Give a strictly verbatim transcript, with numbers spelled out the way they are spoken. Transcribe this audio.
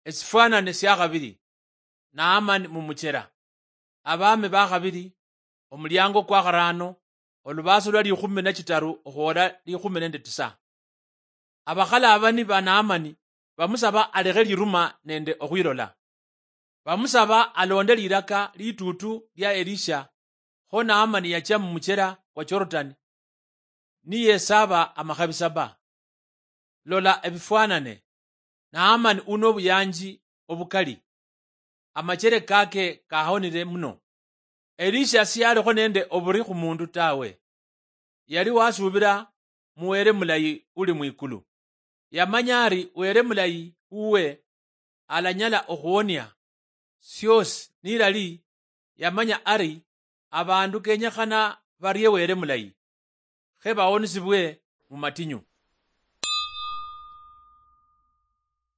Esifwanane siakhabili, Naamani mumuchela. Abaami bakhabili, omuliango kwa kharaano, olubaaso lwa likhumi na chitaru okhwola likhumi nende tisa. Abakhalaabani ba Naamani bamusaba alekhe liruma nende okhwilola. Bamusaba alonde lilaka lituutu lia Elisha, kho Naamani yachia mumuchela kwa Chorodani, niyesaaba amakhabi saba. Lola ebifwanane. Naamani uno obuyanji obukali. Amachere kake kahonire muno. Elisha siyalikho nende oburi khumundu tawe. Yali wasuubira mu Wele mulayi uli mwikulu. Yamanya ari Wele mulayi wuwe alanyala okhuwonia siosi, nilali yamanya ari abandu kenyekhana barie Wele mulayi, khe bawonisibwe mumatinyu.